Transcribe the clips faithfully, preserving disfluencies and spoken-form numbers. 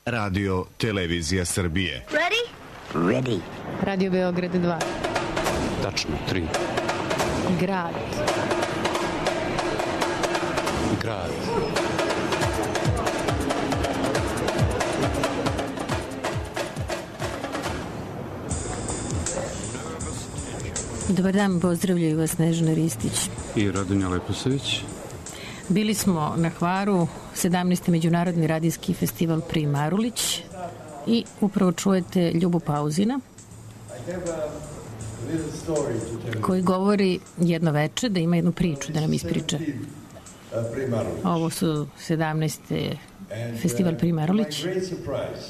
Radio Televizija Srbije. Ready? Ready. Radio Beograd dva. Tačno, tri. Grad. Grad. Dobar dan, pozdravljaju vas Snežana Ristić I Radonja Leposavić. Bili smo na Hvaru, sedamnaesti Međunarodni radijski festival Pri Marulić i upravo čujete Ljubu Pauzina koji govori jedno veče da ima jednu priču da nam ispriča. Ovo su sedamnaesti festival Pri Marulić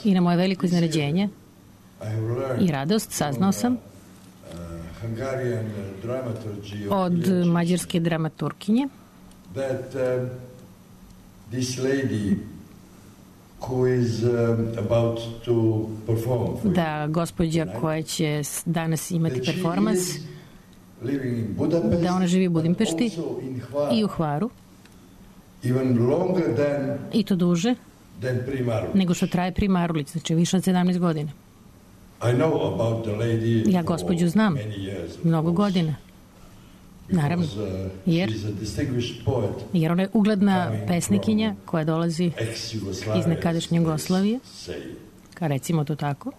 i na moje veliko iznenađenje i radost saznao sam od mađarske dramaturginje that uh, this lady who is uh, about to perform for da gospođa koja će danas imati performans da ona živi u Budimpešti i u Hvaru even longer than, i to duže than Pri Marulić. Nego što traje Pri Marulić, znači više od sedamnaest godina. I know about the lady ja gospođu znam mnogo godina. Naravno, jer, jer ona je ugledna pesnikinja koja dolazi iz nekadašnje Jugoslavije, kao recimo to tako,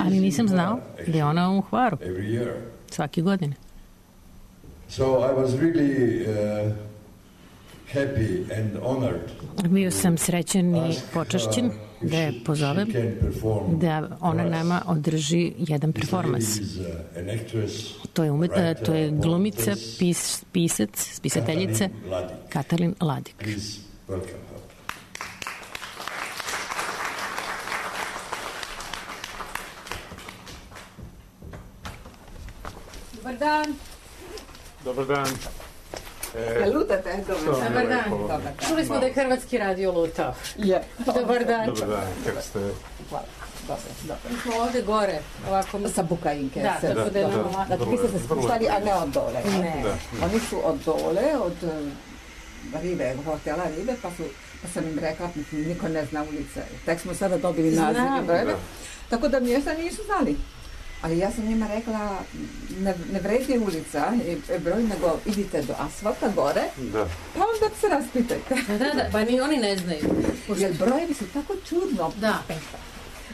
ali nisam znao da je ona u Hvaru svake godine. Bio sam srećen i počašćen da je pozovem da ona nama održi jedan performans. To je, umet, to je glumica, pis, pisac, spisateljica Katalin Ladik. Dobar dan. Dobar dan. E, lutate? Dobar, dobar dan. Dobar dan. Čuli smo da je hrvatski radio lutao. Je. Dobar dan. Dobar dan, kako ste? Hvala. Dobro, dobro. Mi smo ovde gore, ovako... Sa Bukajinke. Da, se, tako da je dobro. Znači, vi ste se spuštali, a ne od dole. Ne. Da. Oni su od dole, od uh, Rive, hotela Rive, pa, su, pa sam im rekla, niko ne zna ulice. Tek smo sada dobili naziv i brojeve. Tako da mjesta nisu znali. Ali ja sam njima rekla, ne, ne vredi ulica i broj, nego idite do asfalta gore, da. Pa onda se raspitajte. Da, da, da, pa ni oni ne znaju. Jer brojevi su tako čudno. Da.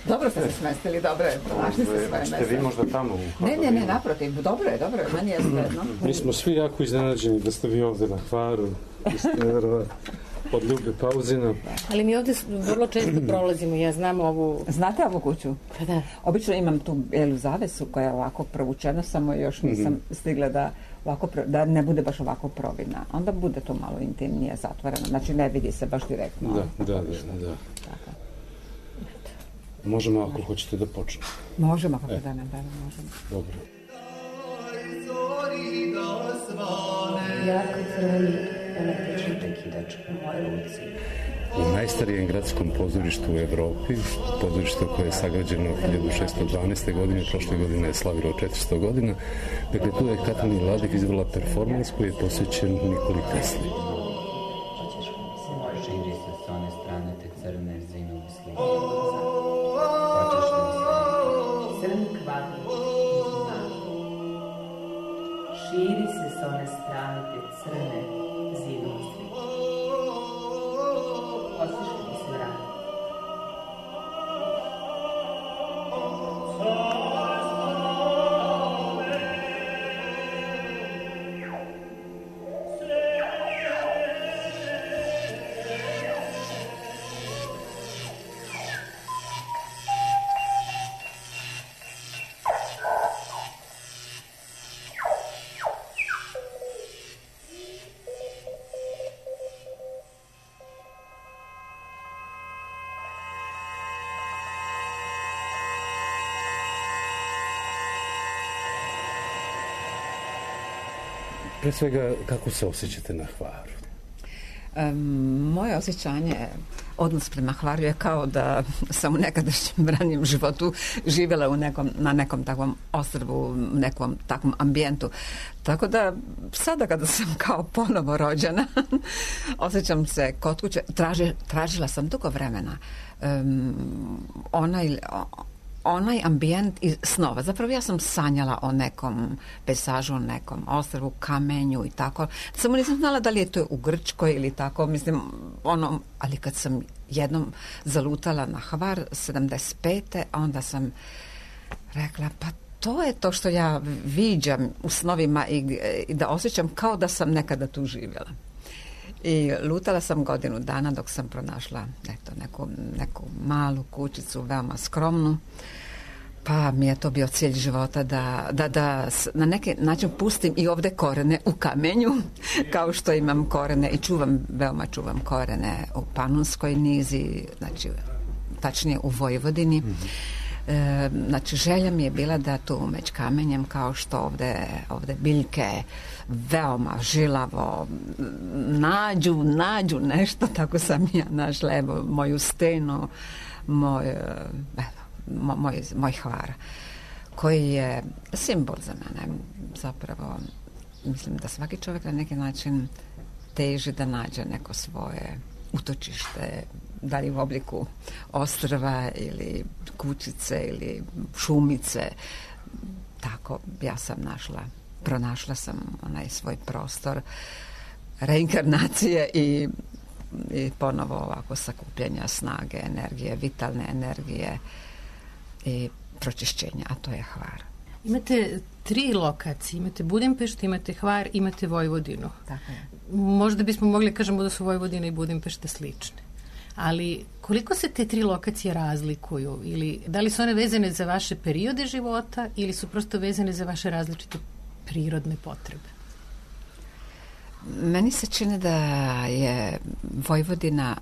Dobro ste se smestili, dobro je, pronašli ste svoje mjesto. Ste vi možda tamo u Ne, ne, ne, naprotiv, dobro je, dobro je, meni je svedno. Mi smo svi jako iznenađeni da ste vi ovde na Hvaru, od Ljube Pauzina. Ali mi ovde vrlo često prolazimo, ja znam ovu... Znate ovu kuću? Pa da. Obično imam tu bijelu zavesu koja je ovako provučena, samo još nisam mm-hmm. stigla da, ovako, da ne bude baš ovako provina. Onda bude to malo intimnije, zatvoreno, znači ne vidi se baš direktno. Da, da, da, da. Tako. Možemo ako hoćete da počnemo. Možemo kako e. da ne, da ne možemo. Dobro. Jako crveni električni prekidač u mojoj ruci. U najstarijem gradskom pozorištu u Evropi, pozorište koje je sagrađeno hiljadu šeststo dvanaeste. godine, prošle godine je slavilo četiristo godina. Dakle, tu je Katalin Ladik izvela performans koji je posvećen Nikoli Tesli. Širi se s one strane te crne zvinove slike. Crni kvadrat širi se s one strane te crne zidove slike. Osjećaj mi se vrati. Pre svega, kako se osjećate na Hvaru? Um, moje osjećanje, odnos prema Hvaru je kao da sam u nekadašnjem ranjem životu živjela u nekom, na nekom takvom ostrvu, u nekom takvom ambijentu. Tako da sada kada sam kao ponovo rođena, osjećam se kod kuće. Traži, tražila sam dugo vremena um, onaj, onaj ambijent iz snova. Zapravo ja sam sanjala o nekom pejsažu, o nekom ostrvu, kamenju i tako. Samo nisam znala da li je to u Grčkoj ili tako, mislim, ono, ali kad sam jednom zalutala na Hvar sedamdeset pete onda sam rekla, pa to je to što ja viđam u snovima i, i da osjećam kao da sam nekada tu živjela. I lutala sam godinu dana dok sam pronašla eto, neku, neku malu kućicu, veoma skromnu, pa mi je to bio cilj života da, da, da na neki način pustim i ovdje korene u kamenju, kao što imam korene i čuvam, veoma čuvam korene u Panonskoj nizi, znači tačnije u Vojvodini. Mm-hmm. E, znači želja mi je bila da tu među kamenjem, kao što ovdje, ovdje biljke veoma žilavo nađu, nađu nešto, tako sam ja našla, evo, moju stenu, moj, evo, moj, moj Hvar, koji je simbol za mene. Zapravo, mislim da svaki čovjek na neki način teži da nađe neko svoje utočište, da li u obliku ostrva ili kućice ili šumice. Tako ja sam našla, pronašla sam onaj svoj prostor reinkarnacije i, i ponovo ovako sakupljanja snage, energije, vitalne energije i pročišćenja, a to je Hvar. Imate tri lokacije, imate Budimpeštu, imate Hvar, imate Vojvodinu. Tako je. Možda bismo mogli kažemo da su Vojvodina i Budimpešta slične. Ali koliko se te tri lokacije razlikuju? Ili da li su one vezane za vaše periode života ili su prosto vezane za vaše različite prirodne potrebe? Meni se čini da je Vojvodina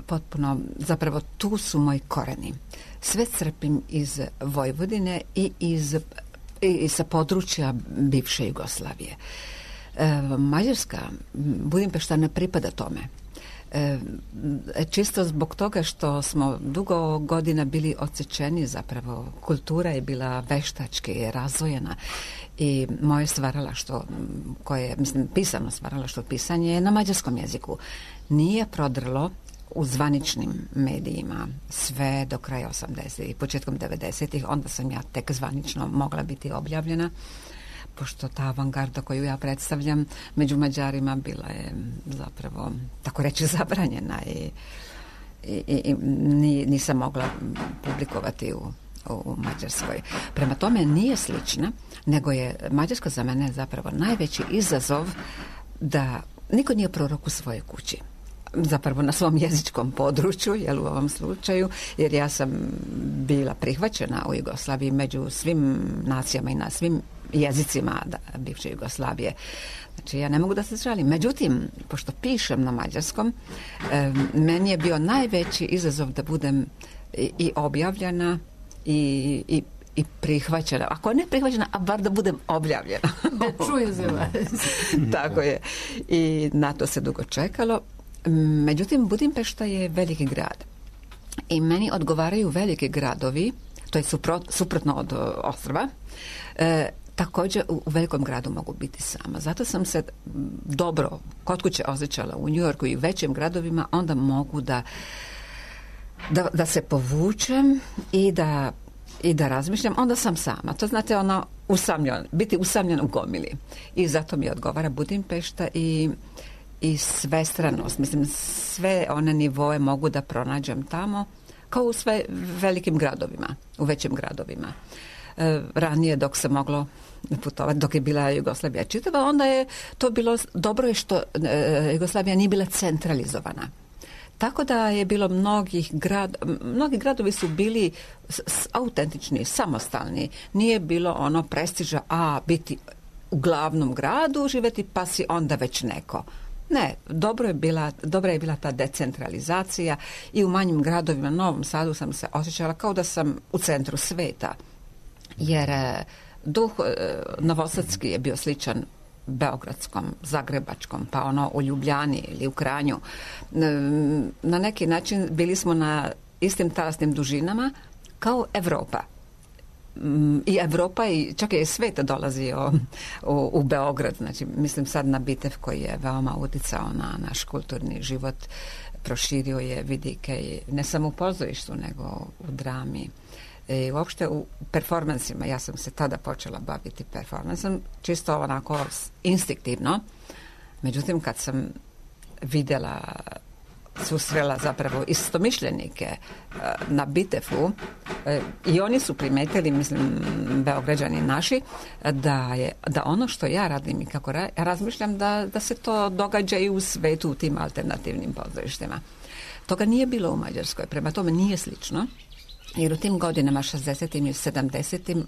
potpuno, zapravo tu su moji koreni. Sve crpim iz Vojvodine i iz i sa područja bivše Jugoslavije. E, Mađarska, Budimpešta ne pripada tome. E, čisto zbog toga što smo dugo godina bili odsečeni, zapravo kultura je bila veštački razvojena i moje stvaralaštvo koje, mislim, pisano stvaralaštvo, pisanje je na mađarskom jeziku. Nije prodrlo u zvaničnim medijima sve do kraja osamdesetih i početkom devedesetih, onda sam ja tek zvanično mogla biti objavljena, pošto ta avangarda koju ja predstavljam među Mađarima bila je zapravo, tako reći, zabranjena i, i, i nisam mogla publikovati u, u Mađarskoj. Prema tome nije slična, nego je Mađarska za mene zapravo najveći izazov da niko nije prorok u svojoj kući. Zapravo na svom jezičkom području, jel, u ovom slučaju, jer ja sam bila prihvaćena u Jugoslaviji među svim nacijama i na svim jezicima da, bivše Jugoslavije. Znači, ja ne mogu da se žalim. Međutim, pošto pišem na mađarskom, e, meni je bio najveći izazov da budem i, i objavljena i, i i prihvaćena. Ako ne prihvaćena, a bar da budem objavljena. Da čuju za vas. Tako je. I na to se dugo čekalo. Međutim, Budimpešta je veliki grad. I meni odgovaraju veliki gradovi, to je suprot, suprotno od ostrva. E, također u, u velikom gradu mogu biti sama. Zato sam se dobro kod kuće osjećala u Njujorku i u većim gradovima, onda mogu da, da, da se povučem i da i da razmišljam, onda sam sama. To znate, ono, usamljen, biti usamljen u gomili. I zato mi odgovara Budimpešta i, i svestranost. Mislim, sve one nivoe mogu da pronađem tamo, kao u sve velikim gradovima, u većim gradovima. E, ranije, dok se moglo putovati, dok je bila Jugoslavija čitava, onda je to bilo, dobro je što e, Jugoslavija nije bila centralizovana. Tako da je bilo mnogih grad, mnogi gradovi su bili s, s, autentični, samostalni. Nije bilo ono prestiža, a biti u glavnom gradu, živjeti pa si onda već neko. Ne, dobro je bila, dobra je bila ta decentralizacija i u manjim gradovima, Novom Sadu sam se osjećala kao da sam u centru sveta. Jer duh novosadski je bio sličan beogradskom, zagrebačkom, pa ono u Ljubljani ili u Kranju. Na neki način bili smo na istim talasnim dužinama kao Evropa. I Evropa i čak i svijet dolazio u, u Beograd. Znači, mislim sad na Bitev koji je veoma uticao na naš kulturni život. Proširio je vidike ne samo u pozorištu, nego u drami. I uopšte u performansima. Ja sam se tada počela baviti performansom, čisto onako instinktivno. Međutim, kad sam vidjela, susrela zapravo istomišljenike na Bitefu i oni su primetili, mislim, Beograđani naši, da je, da ono što ja radim i kako ra, razmišljam da, da se to događa i u svetu u tim alternativnim pozorištima. Toga nije bilo u Mađarskoj, prema tome nije slično, jer u tim godinama šezdesetim i sedamdesetim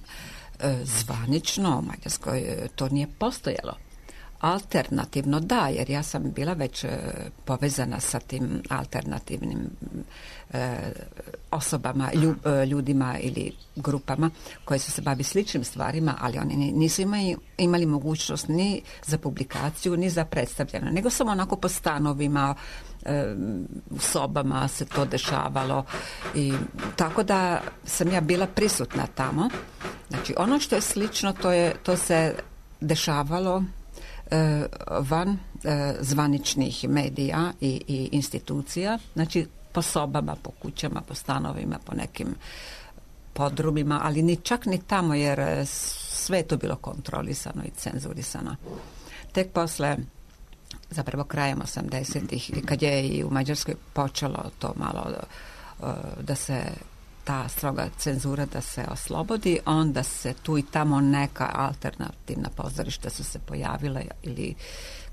zvanično u Mađarskoj to nije postojalo. Alternativno da, jer ja sam bila već e, povezana sa tim alternativnim e, osobama, lju, e, ljudima ili grupama koje su se bavili sličnim stvarima, ali oni nisu imali, imali mogućnost ni za publikaciju, ni za predstavljanje, nego samo onako po stanovima, e, u sobama se to dešavalo. I tako da sam ja bila prisutna tamo. Znači, ono što je slično, to, je, to se dešavalo van zvaničnih medija i, i institucija, znači po sobama, po kućama, po stanovima, po nekim podrumima, ali ni čak ni tamo, jer sve je to bilo kontrolisano i cenzurisano. Tek posle, zapravo krajem osamdesetih, kad je i u Mađarskoj počelo to malo da se ta stroga cenzura da se oslobodi, onda se tu i tamo neka alternativna pozorišta su se pojavila ili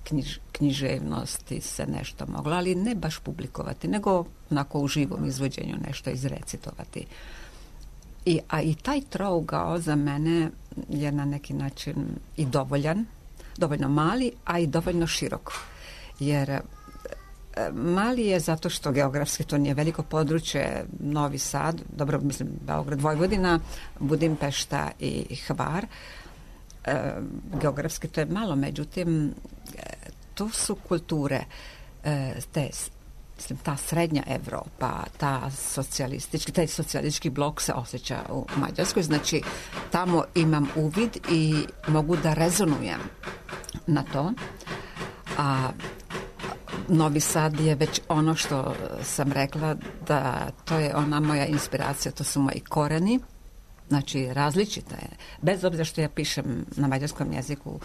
knjiž, književnosti se nešto moglo, ali ne baš publikovati, nego onako u živom izvođenju nešto izrecitovati. I, a i taj trougao za mene je na neki način i dovoljan, dovoljno mali, a i dovoljno širok. Jer mali je zato što geografski to nije veliko područje, Novi Sad, dobro, mislim, Beograd, Vojvodina, Budimpešta i Hvar. E, geografski to je malo, međutim, tu su kulture, e, te, mislim, ta srednja Evropa, ta socijalistički, taj socijalistički blok se osjeća u Mađarskoj, znači tamo imam uvid i mogu da rezonujem na to, a Novi Sad je već ono što sam rekla da to je ona moja inspiracija, to su moji koreni, znači različita je. Bez obzira što ja pišem na mađarskom jeziku,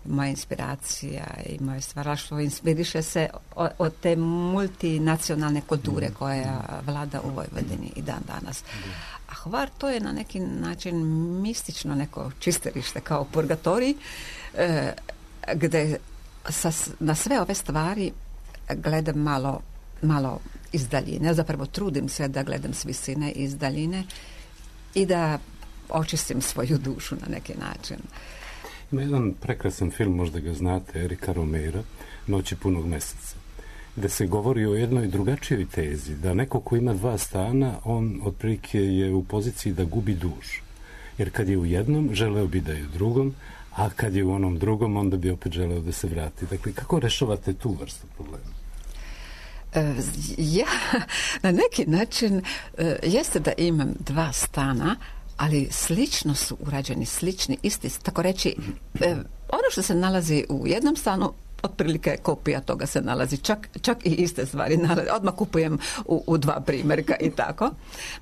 moja inspiracija i moje stvaralaštvo inspiriše se od, od te multinacionalne kulture koja vlada u Vojvodini i dan danas. A Hvar to je na neki način mistično neko čisterište kao purgatorij, eh, gde sa, na sve ove stvari gledam malo, malo iz daljine. Zapravo trudim se da gledam s visine iz daljine i da očistim svoju dušu na neki način. Ima jedan prekrasan film, možda ga znate, Erika Romera, Noći punog meseca, gde se govori o jednoj drugačijoj tezi, da neko ko ima dva stana, on otprilike je u poziciji da gubi dušu. Jer kad je u jednom, želeo bi da je u drugom, a kad je u onom drugom, onda bi opet želeo da se vrati. Dakle, kako rešavate tu vrstu problema? Ja, na neki način, jeste da imam dva stana, ali slično su urađeni, slični, isti, tako reći, ono što se nalazi u jednom stanu, otprilike kopija toga se nalazi, čak, čak i iste stvari nalazi. Odmah kupujem u, u dva primjerka i tako.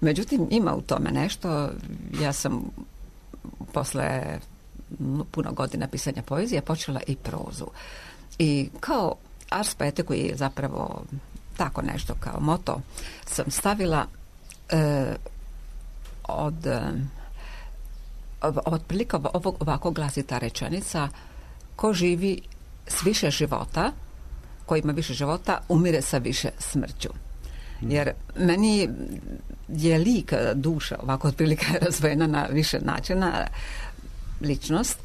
Međutim, ima u tome nešto. Ja sam posle puno godina pisanja poezije počela i prozu. I kao ars poete, koji je zapravo tako nešto kao moto, sam stavila e, od e, otprilike ovog, ovako glasi ta rečenica: ko živi s više života, ko ima više života, umire sa više smrću. Jer meni je lik, duša, ovako otprilike razvojena na više načina, ličnost,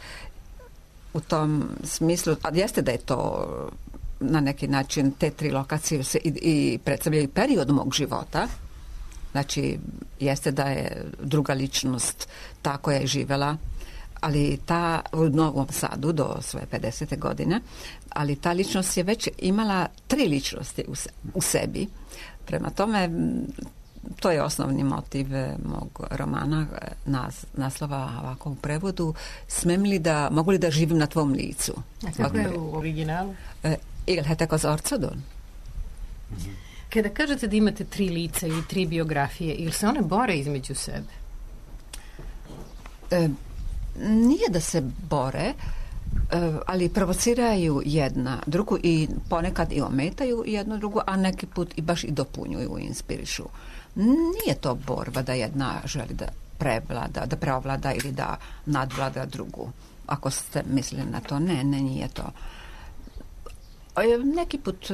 u tom smislu, a jeste da je to na neki način, te tri lokacije se i, i predstavljaju period mog života. Znači, jeste da je druga ličnost ta koja je živela, ali ta u Novom Sadu do svoje pedesete godine, ali ta ličnost je već imala tri ličnosti u, se, u sebi. Prema tome, to je osnovni motiv mog romana, nas, naslova ovako u prevodu. Smem li da, mogu li da živim na tvom licu? A kako je u originalu? Il heter az arcodon. Kada kažete da imate tri lica ili tri biografije, ili se one bore između sebe? E, nije da se bore, e, ali provociraju jedna drugu i ponekad i ometaju jednu drugu, a neki put i baš i dopunjuju i inspirišu. Nije to borba da jedna želi da prevlada, da preovlada ili da nadvlada drugu. Ako ste mislili na to, ne, ne, nije to. Neki put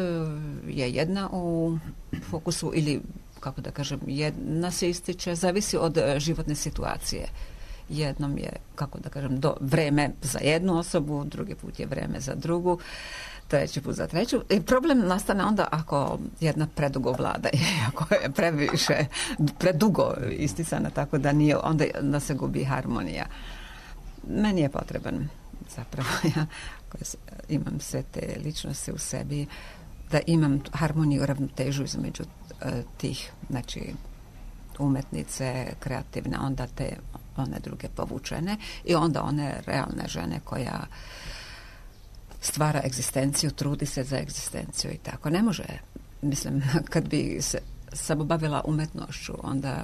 je jedna u fokusu ili, kako da kažem, jedna se ističe, zavisi od životne situacije. Jednom je, kako da kažem, do vreme za jednu osobu, drugi put je vreme za drugu, treći put za treću. I problem nastane onda ako jedna predugo vlada i ako je previše, predugo isticana, tako da nije, onda, onda se gubi harmonija. Meni je potreban zapravo, ja imam sve te ličnosti u sebi, da imam harmoniju, ravnotežu između uh, tih, znači umetnice, kreativne, onda te one druge povučene i onda one realne žene koja stvara egzistenciju, trudi se za egzistenciju i tako. Ne može, mislim, kad bi se samo bavila umetnošću, onda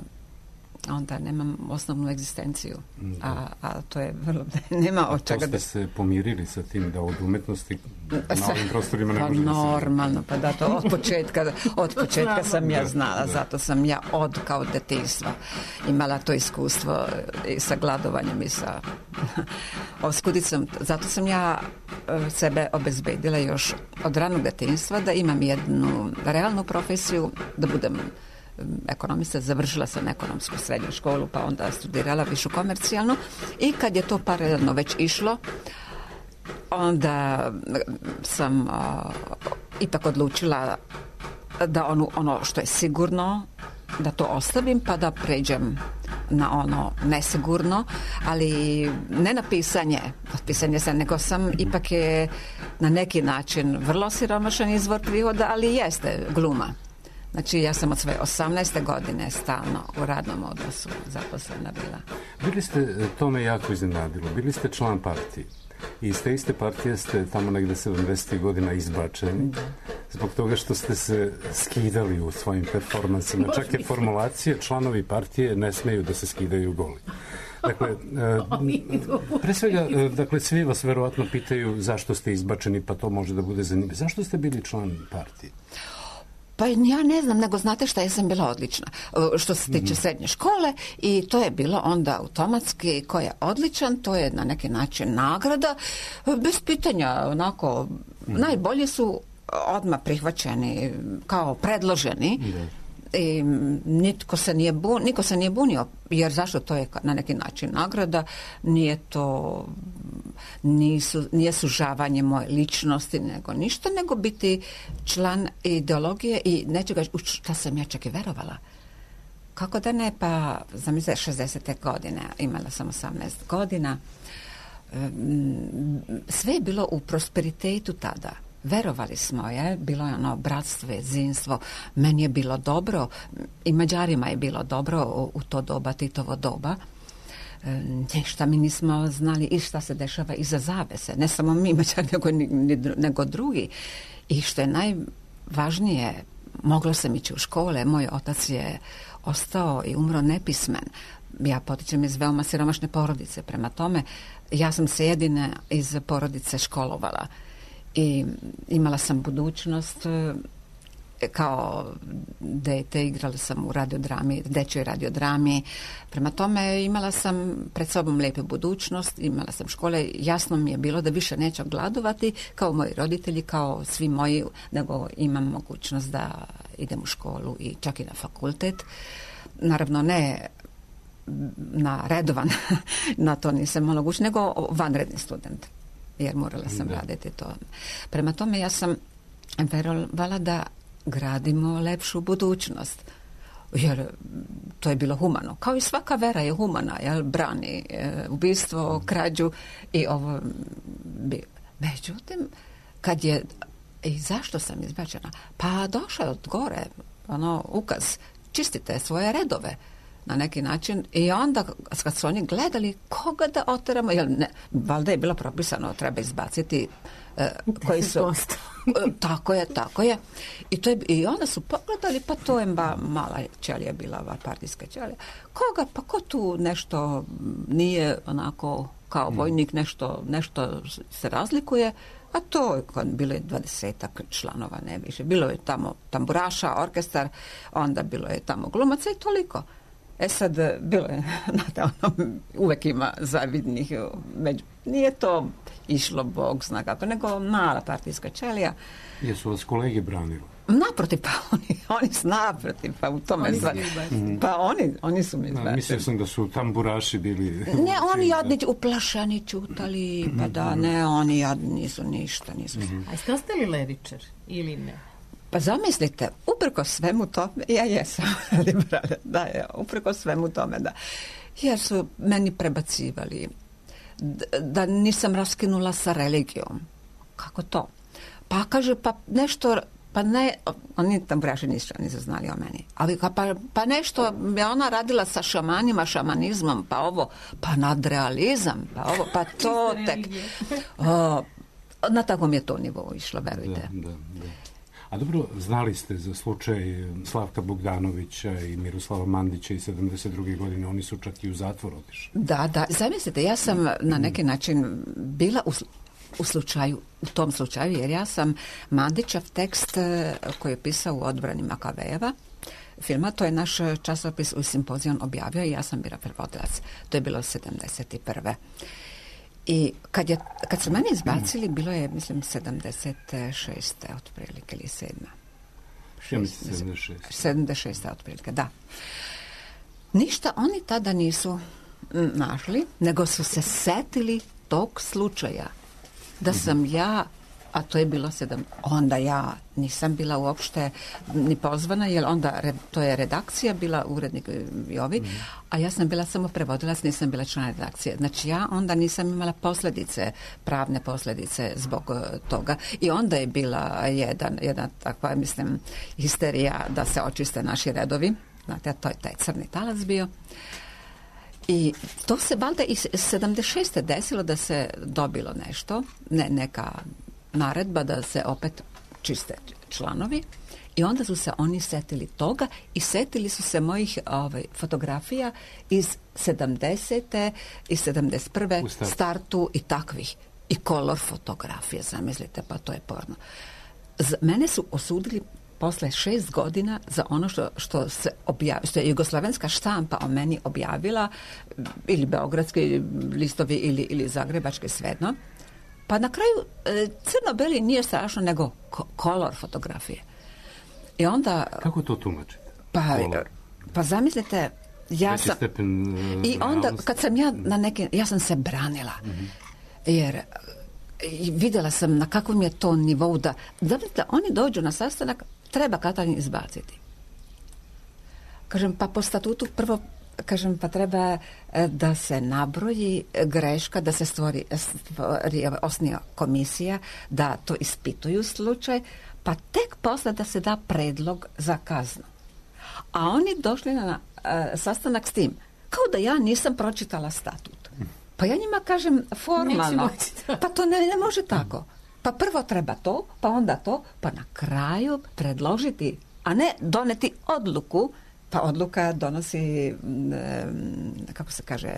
onda nemam osnovnu egzistenciju, a, a to je vrlo, nema od čega da... To ste se pomirili sa tim da od umetnosti na ovim prostorima ne pa može da se... Normalno, pa da to od početka, od početka sam ja znala, zato sam ja od kao detinjstva imala to iskustvo i sa gladovanjem i sa oskudicom. Zato sam ja sebe obezbedila još od ranog detinjstva da imam jednu realnu profesiju, da budem ekonomista, završila sam ekonomsku srednju školu, pa onda studirala višu komercijalnu i kad je to paralelno već išlo, onda sam a, ipak odlučila da ono, ono što je sigurno, da to ostavim, pa da pređem na ono nesigurno, ali ne na pisanje, pisanje sam, nego sam ipak je na neki način vrlo siromašan izvor prihoda, ali jeste gluma. Znači, ja sam od svoje osamnaeste godine stalno u radnom odnosu zaposlena bila. Bili ste, to me jako iznenadilo, bili ste član partije. I iz te iste partije ste tamo negde sedamdesetih godina izbačeni zbog toga što ste se skidali u svojim performansima. Čak je formulacija, članovi partije ne smeju da se skidaju goli. Dakle, pre svega, dakle, svi vas verovatno pitaju zašto ste izbačeni, pa to može da bude zanimljivo. Zašto ste bili član partije? Pa ja ne znam, nego znate šta, ja sam bila odlična što se tiče srednje škole i to je bilo onda automatski ko je odličan, to je na neki način nagrada, bez pitanja, onako, najbolji su odmah prihvaćeni kao predloženi. I nitko se nije bunio, niko se nije bunio, jer zašto, to je na neki način nagrada, nije to nisu, nije sužavanje moje ličnosti nego ništa, nego biti član ideologije i nečega u šta sam ja čak i verovala. Kako da ne, pa zamislite, šezdesete godine, imala sam osamnaest godina, sve je bilo u prosperitetu tada. Verovali smo, je, bilo je ono bratstvo, jedinstvo, meni je bilo dobro i Mađarima je bilo dobro u, u to doba, Titovo doba. E, ništa mi nismo znali i šta se dešava iza zavese, ne samo mi Mađari, nego, nego drugi. I što je najvažnije, moglo sam ići u škole, moj otac je ostao i umro nepismen. Ja potičem iz veoma siromašne porodice, prema tome ja sam se jedina iz porodice školovala. I imala sam budućnost, kao dete igrala sam u radiodrami, dečjoj radiodrami, prema tome imala sam pred sobom lijepu budućnost, imala sam škole, jasno mi je bilo da više neću gladovati kao moji roditelji, kao svi moji, nego imam mogućnost da idem u školu i čak i na fakultet. Naravno ne na redovan, na to nisam mogućnost, nego vanredni student, jer morala sam da. raditi to. Prema tome ja sam verovala da gradimo lepšu budućnost. Jer to je bilo humano. Kao i svaka vera je humana, jel, brani e, ubistvo, krađu i ovo bi. Međutim, kad je, i zašto sam izbačena? Pa došao je od gore, ono, ukaz, čistite svoje redove na neki način i onda kad su oni gledali koga da oteramo, jer ne, valjda je bilo propisano, treba izbaciti e, koji su... E, tako je, tako je. I, to je. I onda su pogledali, pa to je ba, mala ćelija bila, ova partijska ćelija. Koga, pa ko tu nešto nije onako kao vojnik, nešto, nešto se razlikuje, a to je bilo je dvadesetak članova, ne više. Bilo je tamo tamburaša, orkestar, onda bilo je tamo glumaca i toliko. E sad, bilo je, znate, ono, uvek ima zavidnih, među, nije to išlo, Bog zna kako, nego mala partijska ćelija. Jesu vas kolege branili? Naprotiv, pa oni, oni su naprotiv, pa u tome oni zva... Pa oni, oni su mi izbacili. Mislio sam da su tamburaši bili... Ne, oni jadni, uplašeni, čutali, pa da, ne, oni jadni nisu ništa, nisu. Mm-hmm. A ste ostali levičar ili ne? Pa zamislite, uprko svemu tome, ja jesam liberalna, da, ja, uprko svemu tome, da. Jer su meni prebacivali da nisam raskinula sa religijom. Kako to? Pa kaže, pa nešto, pa ne, oni tamburaši nisu, nisu znali o meni, ali pa, pa nešto je ona radila sa šamanima, šamanizmom, pa ovo, pa nadrealizam, pa ovo, pa to tek. O, na takvom je to nivou išlo, verujte. Da, da, da. A dobro, znali ste za slučaj Slavka Bogdanovića i Miroslava Mandića i sedamdeset druge godine, oni su čak i u zatvor otišli. Da, da, zamislite, ja sam na neki način bila u, u slučaju, u tom slučaju, jer ja sam Mandićev tekst koji je pisao u odbrani Makavejeva filma, to je naš časopis u Simpozion objavio i ja sam bila prevodilac. To je bilo sedamdeset prve. I kad, je, kad su mene izbacili, bilo je, mislim, sedamdeset šeste otprilike, ili sedma. Ja mislim sedamdeset šeste. sedamdeset šeste otprilike, da. Ništa oni tada nisu našli, nego su se setili tog slučaja. Da sam ja, a to je bilo sedam, onda ja nisam bila uopšte ni pozvana, jer onda to je redakcija bila, urednik i ovi, mm. a ja sam bila samo prevodilac, nisam bila član redakcije. Znači ja onda nisam imala posljedice, pravne posljedice zbog toga. I onda je bila jedan, jedna takva, mislim, histerija da se očiste naši redovi. Znate, to je taj crni talac bio. I to se valjda i sedamdeset šeste desilo da se dobilo nešto, ne, neka naredba da se opet čiste članovi i onda su se oni setili toga i setili su se mojih ovaj, fotografija iz sedamdesete i sedamdeset prve startu i takvih. I kolor fotografije, zamislite, pa to je porno. Z, mene su osudili posle šest godina za ono što, što se objavilo, što je jugoslavenska štampa o meni objavila, ili beogradski listovi ili, ili zagrebački, svejedno. Pa na kraju e, crno-beli nije strašno, nego ko- kolor fotografije. I onda... Kako to tumačite? Pa, pa zamislite, ja Veći sam... stepen, uh, I onda, realnosti. kad sam ja na neki... Ja sam se branila. Mm-hmm. Jer i vidjela sam na kakvom je to nivou da... Zamislite, oni dođu na sastanak, treba Katalin izbaciti. Kažem, pa po statutu prvo... Kažem, pa treba da se nabroji greška, da se stvori, stvori osnija komisija, da to ispituju slučaj, pa tek posle da se da predlog za kaznu. A oni došli na uh, sastanak s tim, kao da ja nisam pročitala statut. Pa ja njima kažem formalno, pa to ne, ne može tako. Pa prvo treba to, pa onda to, pa na kraju predložiti, a ne doneti odluku. Pa odluka donosi, kako se kaže...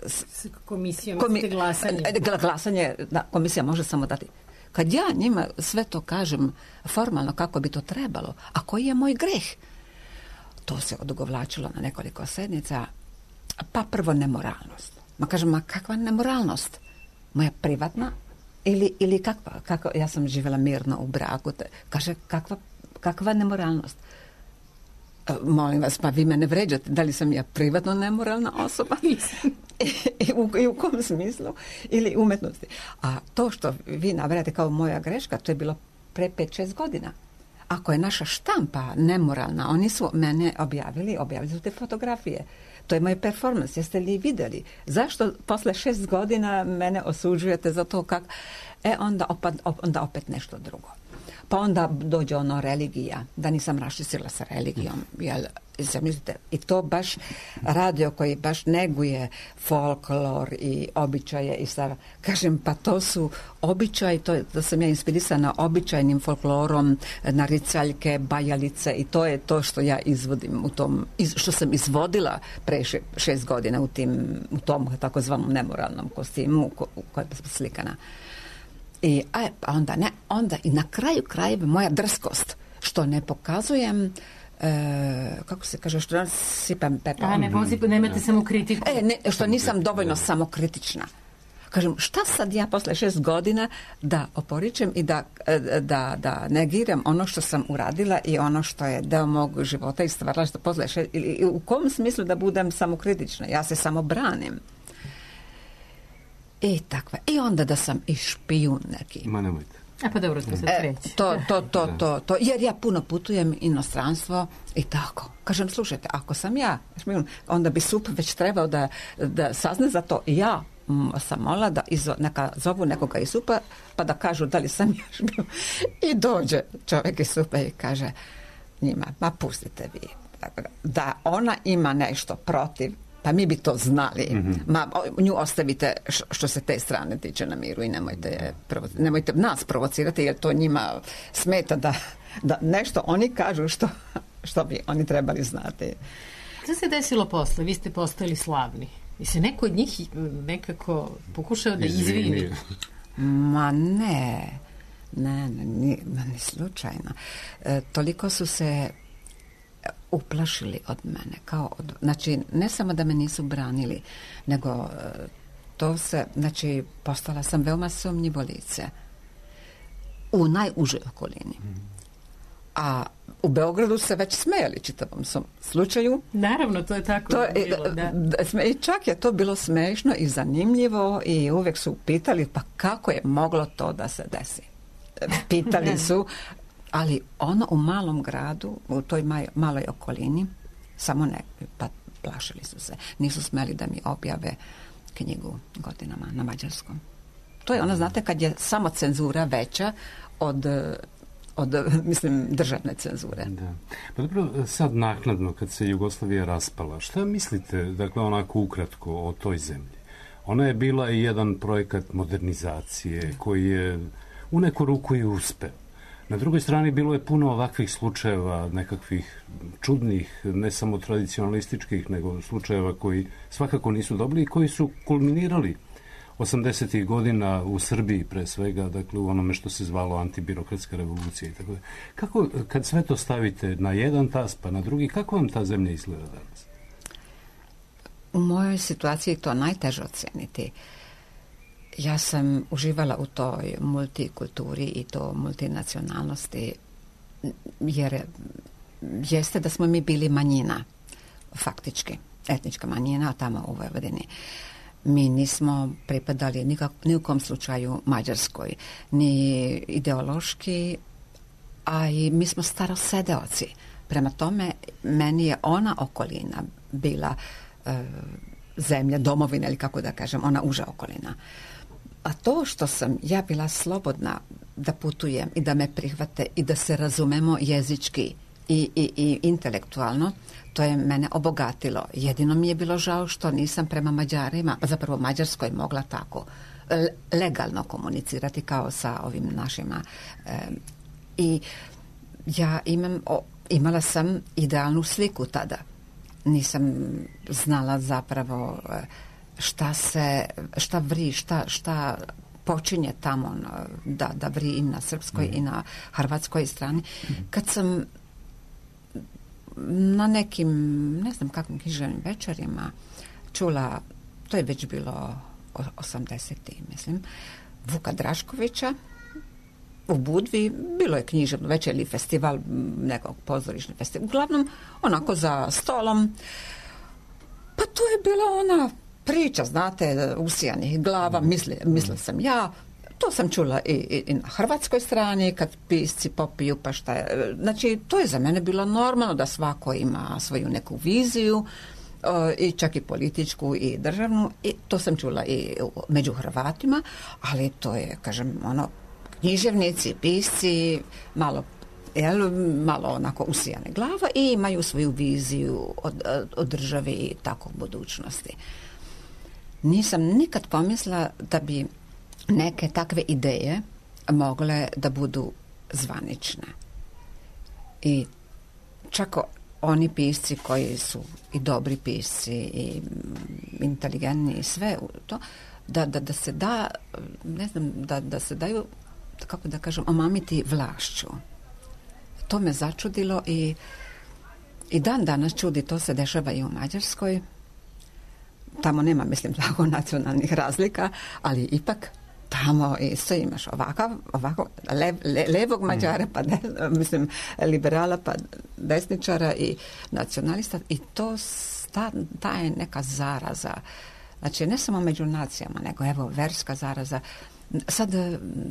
S komisijom komi, ste glasanje. Glasanje, da, komisija može samo dati. Kad ja njima sve to kažem formalno kako bi to trebalo, a koji je moj greh? To se odugovlačilo na nekoliko sednica. Pa prvo nemoralnost. Ma kažem, ma kakva nemoralnost? Moja privatna ili, ili kakva? Kako, ja sam živjela mirno u braku. Te, kaže, kakva, kakva nemoralnost? Molim vas, pa vi mene vređate. Da li sam ja privatno nemoralna osoba? I, i, u, I u kom smislu? Ili umetnosti? A to što vi nabrajate kao moja greška, to je bilo pre pet šest godina. ako je naša štampa nemoralna, oni su mene objavili, objavili su te fotografije. To je moj performans, jeste li vidjeli? Zašto posle šest godina mene osuđujete za to kako... E, onda, opet, onda opet nešto drugo. Pa onda dođe ono religija, da nisam raščistila sa religijom, jel, zamislite, i to baš radio koji baš neguje folklor i običaje i sad, kažem, pa to su običaji, to, da sam ja inspirisana običajnim folklorom, naricaljke, bajalice i to je to što ja izvodim u tom, iz, što sam izvodila pre še, šest godina u, tim, u tom takozvanom nemoralnom kostimu ko, u kojem sam slikana. I a, onda ne, onda i na kraju krajeva moja drskost, što ne pokazujem, e, kako se kaže, što sipam pepel. A ne posip, nemate samo kritiku. E, ne, što nisam dovoljno samokritična. Kažem, šta sad ja posle šest godina da oporičem i da, da, da negiram ono što sam uradila i ono što je deo mog života i stvarala što posle šest, ili u kom smislu da budem samokritična? Ja se samo branim. I takva. I onda da sam i špijun neki. Ma nemojte. A pa dobro, to se kreće. E, to, to, to, to, to. Jer ja puno putujem inostranstvo i tako. Kažem, slušajte, ako sam ja špijun, onda bi S U P već trebao da, da sazne za to. Ja sam molila da izo, neka zovu nekoga iz S U P-a pa da kažu da li sam ja špijun. I dođe čovjek iz S U P-a i kaže njima, ma pustite vi. Da ona ima nešto protiv, pa mi bi to znali. Mm-hmm. Ma, nju ostavite što se te strane tiče na miru i nemojte, provo- nemojte nas provocirati jer to njima smeta da, da nešto oni kažu što, što bi oni trebali znati. Što se desilo posle? Vi ste postali slavni. I se neko od njih nekako pokušao da izvini? Ma ne. Ne, ne, ni, ni slučajno. E, toliko su se uplašili od mene. Kao od, znači, ne samo da me nisu branili, nego to se, znači, postala sam veoma sumnjivo lice u najužoj okolini. A u Beogradu se već smejali čitavom svom slučaju. Naravno, to je tako. To je, bilo, da. I čak je to bilo smešno i zanimljivo i uvijek su pitali pa kako je moglo to da se desi. Pitali su, ali ono u malom gradu, u toj maj, maloj okolini, samo ne, pa plašili su se. Nisu smeli da mi objave knjigu godinama na mađarskom. To je ono, znate, kad je samo cenzura veća od, od mislim, državne cenzure. Da. Pa dobro, sad naknadno, kad se Jugoslavija raspala, šta mislite, dakle, onako ukratko o toj zemlji? Ona je bila i jedan projekat modernizacije koji je u neku ruku i uspeo. Na drugoj strani bilo je puno ovakvih slučajeva, nekakvih čudnih, ne samo tradicionalističkih, nego slučajeva koji svakako nisu dobri i koji su kulminirali osamdesetih godina u Srbiji pre svega, dakle u onome što se zvalo antibirokratska revolucija i tako da. Kako, kad sve to stavite na jedan tas pa na drugi, kako vam ta zemlja izgleda danas? U mojoj situaciji to najteže oceniti. Ja sam uživala u toj multikulturi i to multinacionalnosti, jer jeste da smo mi bili manjina, faktički, etnička manjina tamo u Vojvodini. Mi nismo pripadali nikak, ni u kom slučaju Mađarskoj, ni ideološki, a i mi smo starosedeoci. Prema tome, meni je ona okolina bila e, zemlja, domovina ili kako da kažem, ona uža okolina. A to što sam ja bila slobodna da putujem i da me prihvate i da se razumemo jezički i, i, i intelektualno, to je mene obogatilo. Jedino mi je bilo žao što nisam prema Mađarima, zapravo Mađarskoj mogla tako legalno komunicirati kao sa ovim našima. E, I ja imam, o, imala sam idealnu sliku tada. Nisam znala zapravo šta se, šta vri, šta, šta počinje tamo da, da vri i na srpskoj mm. i na hrvatskoj strani. Mm. Kad sam na nekim, ne znam kakvim književnim večerima čula, to je već bilo osamdesetih mislim, Vuka Draškovića u Budvi, bilo je književno večer ili festival, nekog pozorišni festival, uglavnom onako za stolom, pa to je bila ona priča, znate, usijanih glava, misli, mislila sam ja, to sam čula i, i, i na hrvatskoj strani, kad pisci popiju, pa šta je. Znači, to je za mene bilo normalno da svako ima svoju neku viziju, i čak i političku i državnu, i to sam čula i među Hrvatima, ali to je, kažem, ono, književnici, pisci, malo, jel, malo onako usijane glava i imaju svoju viziju od, od države i tako budućnosti. Nisam nikad pomislila da bi neke takve ideje mogle da budu zvanične. I čak oni pisci koji su i dobri pisci i inteligentni i sve to, da, da, da se da, ne znam, da, da se daju, kako da kažem, omamiti vlašću. To me začudilo i, i dan danas čudi, to se dešava i u Mađarskoj. Tamo nema, mislim, tako nacionalnih razlika, ali ipak tamo isto imaš ovakav, ovako, lev, le, levog Mađara, pa ne, mislim, liberala, pa desničara i nacionalista, i to ta, ta je neka zaraza. Znači, ne samo među nacijama, nego evo, verska zaraza. Sad,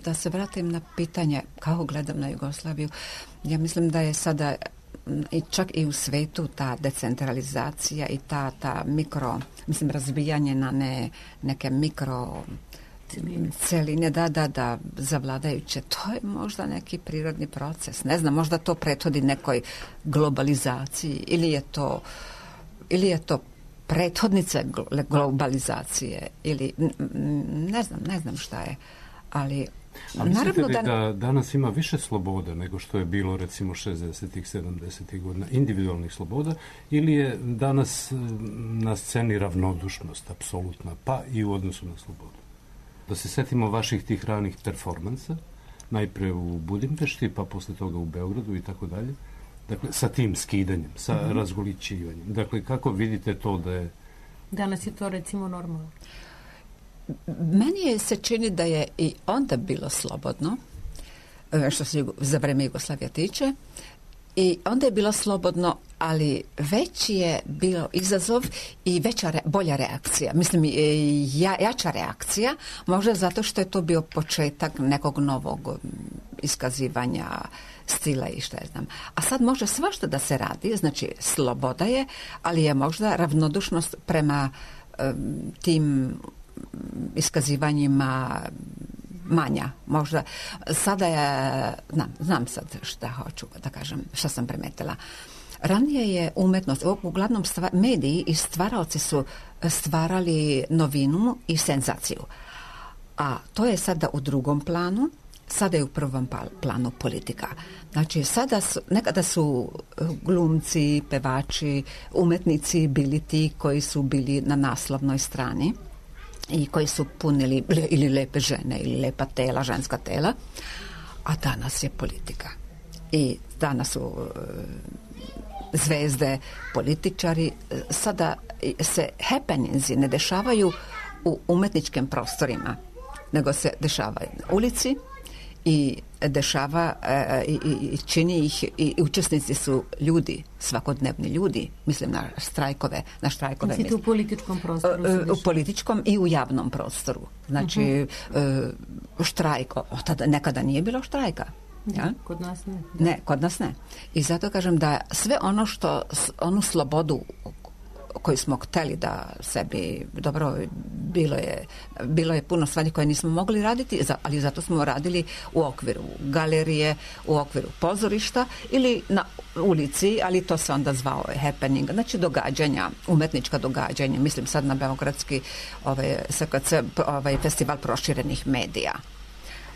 da se vratim na pitanje kako gledam na Jugoslaviju, ja mislim da je sada i čak i u svetu ta decentralizacija i ta, ta mikro, mislim, razbijanje na ne, neke mikro celine, da, da, da, zavladajuće. To je možda neki prirodni proces. Ne znam, možda to prethodi nekoj globalizaciji ili je to, ili je to prethodnica globalizacije ili ne znam, ne znam šta je, ali a mislite li da... da danas ima više sloboda nego što je bilo recimo šezdesetih, sedamdesetih godina, individualnih sloboda, ili je danas na sceni ravnodušnost apsolutna, pa i u odnosu na slobodu? Da se setimo vaših tih ranih performansa, najpre u Budimpešti, pa posle toga u Beogradu i tako dalje. Dakle, sa tim skidanjem, sa mm-hmm. razgolićivanjem. Dakle, kako vidite to da je... Danas je to recimo normalno. Meni je se čini da je i onda bilo slobodno, što se za vreme Jugoslavija tiče, i onda je bilo slobodno, ali veći je bilo izazov i veća, bolja reakcija. Mislim, ja, jača reakcija, možda zato što je to bio početak nekog novog iskazivanja stila i šta je znam. A sad može svašta da se radi, znači sloboda je, ali je možda ravnodušnost prema um, tim iskazivanjima manja. Možda sada je, znam, znam sad šta hoću da kažem, šta sam primetila. Ranije je umetnost, uglavnom stva, mediji i stvaraoci su stvarali novinu i senzaciju. A to je sada u drugom planu, sada je u prvom planu politika. Znači, sada su, nekada su glumci, pevači, umetnici bili ti koji su bili na naslovnoj strani i koji su punili ili lepe žene ili lepa tela, ženska tela, a danas je politika. I danas su zvezde, političari. Sada se happeningsi ne dešavaju u umetničkim prostorima, nego se dešavaju na ulici i dešava e, i, i čini ih i učesnici su ljudi, svakodnevni ljudi, mislim na štrajkove, na štrajkove. Znači, u političkom prostoru? U, u političkom i u javnom prostoru. Znači, uh-huh. e, štrajk, tada nekada nije bilo štrajka. Ja? Kod nas ne. Ne, kod nas ne. I zato kažem da sve ono što, onu slobodu koju smo hteli da sebi, dobro, bilo je, bilo je puno stvari koje nismo mogli raditi, ali zato smo radili u okviru galerije, u okviru pozorišta ili na ulici, ali to se onda zvao happening, znači događanja, umetnička događanja, mislim sad na beogradski ovaj, S K C, ovaj, festival proširenih medija.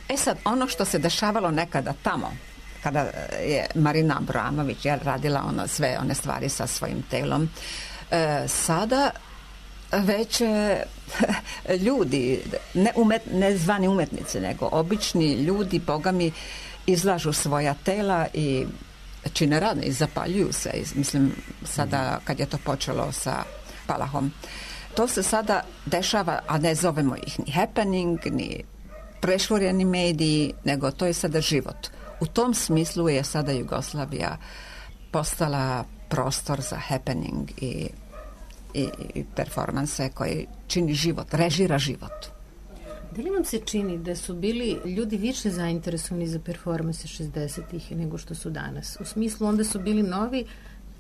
E sad, ono što se dešavalo nekada tamo, kada je Marina Abramović je radila ono, sve one stvari sa svojim telom, e, sada već e, ljudi, ne, umet, ne zvani umetnici, nego obični ljudi, bogami, izlažu svoja tela i čine rane i zapaljuju se. Mislim, sada kad je to počelo sa Palahom, to se sada dešava, a ne zovemo ih ni happening, ni prešvorjeni mediji, nego to je sada život. U tom smislu je sada Jugoslavija postala prostor za happening i, i, i performanse koji čini život, režira život. Da li vam se čini da su bili ljudi više zainteresovani za performanse šezdesetih nego što su danas? U smislu, onda su bili novi,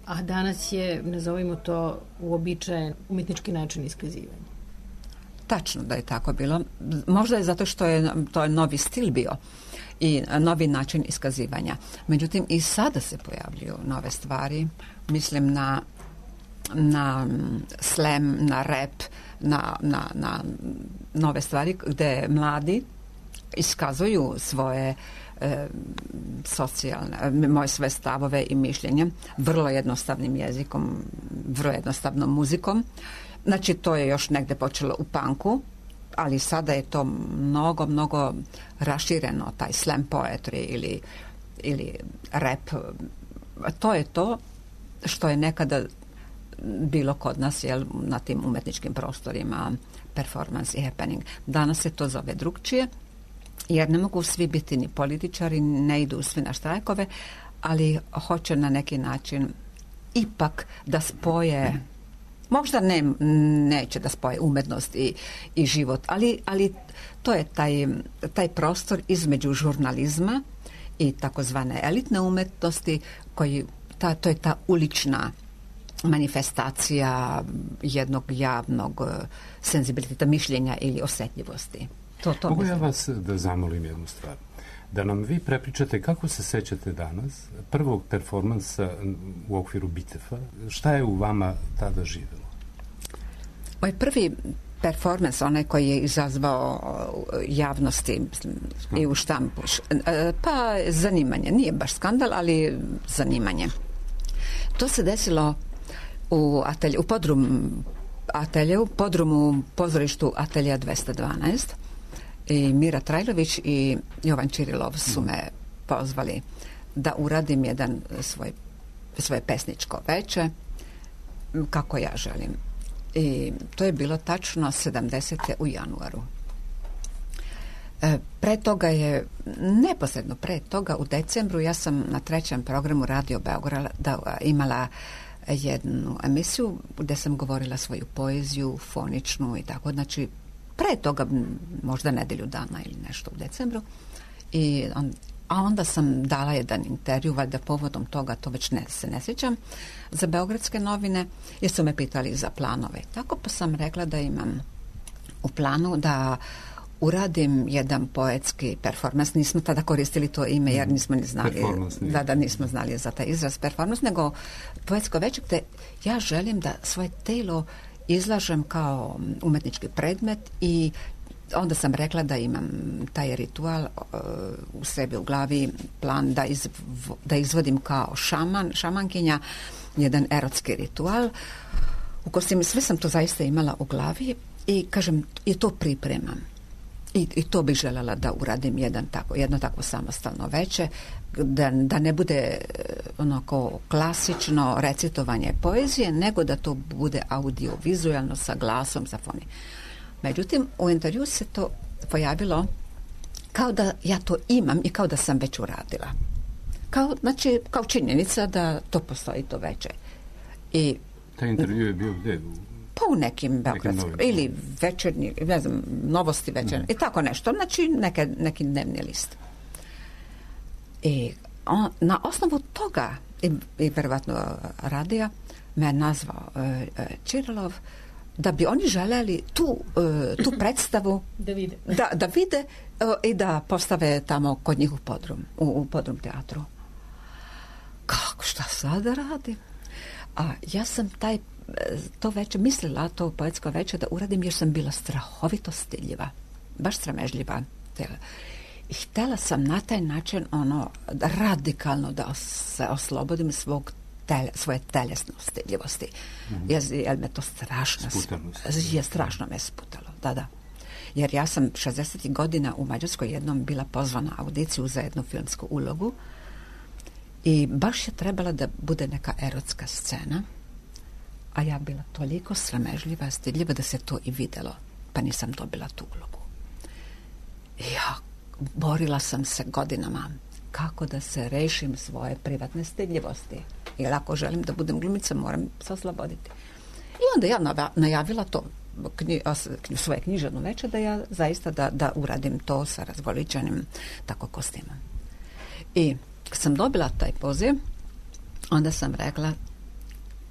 a danas je, nazovimo to, uobičajen umetnički način iskazivanja. Tačno da je tako bilo. Možda je zato što je to je novi stil bio i novi način iskazivanja. Međutim, i sada se pojavljuju nove stvari. Mislim na na slam, na rap, na, na, na nove stvari gde mladi iskazuju svoje e, socijalne, moje sve stavove i mišljenje vrlo jednostavnim jezikom, vrlo jednostavnom muzikom. Znači, to je još negde počelo u punku, ali sada je to mnogo, mnogo rašireno, taj slam poetry ili, ili rap. To je to što je nekada bilo kod nas, jel, na tim umetničkim prostorima, performance i happening. Danas se to zove drugčije, jer ne mogu svi biti ni političari, ne idu svi na štrajkove, ali hoće na neki način ipak da spoje, možda ne, neće da spoje umetnost i, i život, ali, ali to je taj, taj prostor između žurnalizma i takozvane elitne umetnosti, koji, ta, to je ta ulična manifestacija jednog javnog senzibiliteta, mišljenja ili osjetljivosti. To, to Mogu mislim. ja vas da zamolim jednu stvar? Da nam vi prepričate kako se sećate danas prvog performansa u okviru Bitefa. Šta je u vama tada živelo? Moj prvi performans, onaj koji je izazvao javnosti, mislim, i u štampu, pa zanimanje. Nije baš skandal, ali zanimanje. To se desilo u atelju, u podrum atelju, podrumu pozorištu Atelja dvesta dvanaest, i Mira Trajlović i Jovan Čirilov su me pozvali da uradim jedan svoj, svoje pesničko veče kako ja želim. I to je bilo tačno sedamdesete u januaru. E, pre toga je, neposredno pre toga, u decembru, ja sam na trećem programu Radio Beograda da, imala jednu emisiju gde sam govorila svoju poeziju, foničnu i tako. Znači, pre toga, možda nedelju dana ili nešto u decembru. I on, a onda sam dala jedan intervju, valjda povodom toga, to već ne, se ne sjećam, za Beogradske novine, jer su me pitali za planove. Tako pa sam rekla da imam u planu da uradim jedan poetski performans. Nismo tada koristili to ime jer nismo ni znali da, da nismo znali za taj izraz performans, nego poetsko veče gde ja želim da svoje telo izlažem kao umetnički predmet i onda sam rekla da imam taj ritual uh, u sebi u glavi, plan da, izv, da izvodim kao šaman, šamankinja, jedan erotski ritual u kojem sve sam to zaista imala u glavi i kažem, i to pripremam. I, i to bih željela da uradim jedan tako, jedno tako samostalno veče, da, da ne bude onako klasično recitovanje poezije, nego da to bude audiovizualno sa glasom, sa foni. Međutim, u intervju se to pojavilo kao da ja to imam i kao da sam već uradila. Kao, znači, kao činjenica da to postoji to veče. I taj intervju je bio gde? Pa u nekim beogradskim, ili večernji, ne znam, novosti večernji, mm. i tako nešto. Znači, neke, neki dnevni list. I on, na osnovu toga, i, i verovatno radija, me nazvao uh, Čirilov, da bi oni želeli tu, uh, tu predstavu da vide, da, da vide uh, i da postave tamo kod njih u podrum, u, u podrum teatru. Kako, šta sada radim? A ja sam taj to veče mislila, to poetsko veče da uradim jer sam bila strahovito stiljiva, baš sramežljiva. I htjela sam na taj način ono radikalno da se oslobodim svog tele, svoje telesne stiljivosti. Mm-hmm. Jer, jer me to strašno je strašno me sputalo. Da, da. Jer ja sam šezdesetih godina u Mađarskoj jednom bila pozvana na audiciju za jednu filmsku ulogu i baš je trebala da bude neka erotska scena, a ja bila toliko sramežljiva, stidljiva da se to i videlo, pa nisam dobila tu ulogu. I ja borila sam se godinama kako da se rešim svoje privatne stidljivosti. Jer ako želim da budem glumica, moram se osloboditi. I onda ja najavila to knji, os, svoje književno veče, da ja zaista da, da uradim to sa razgoličanim tako kostimom. I kad sam dobila taj poziv, onda sam rekla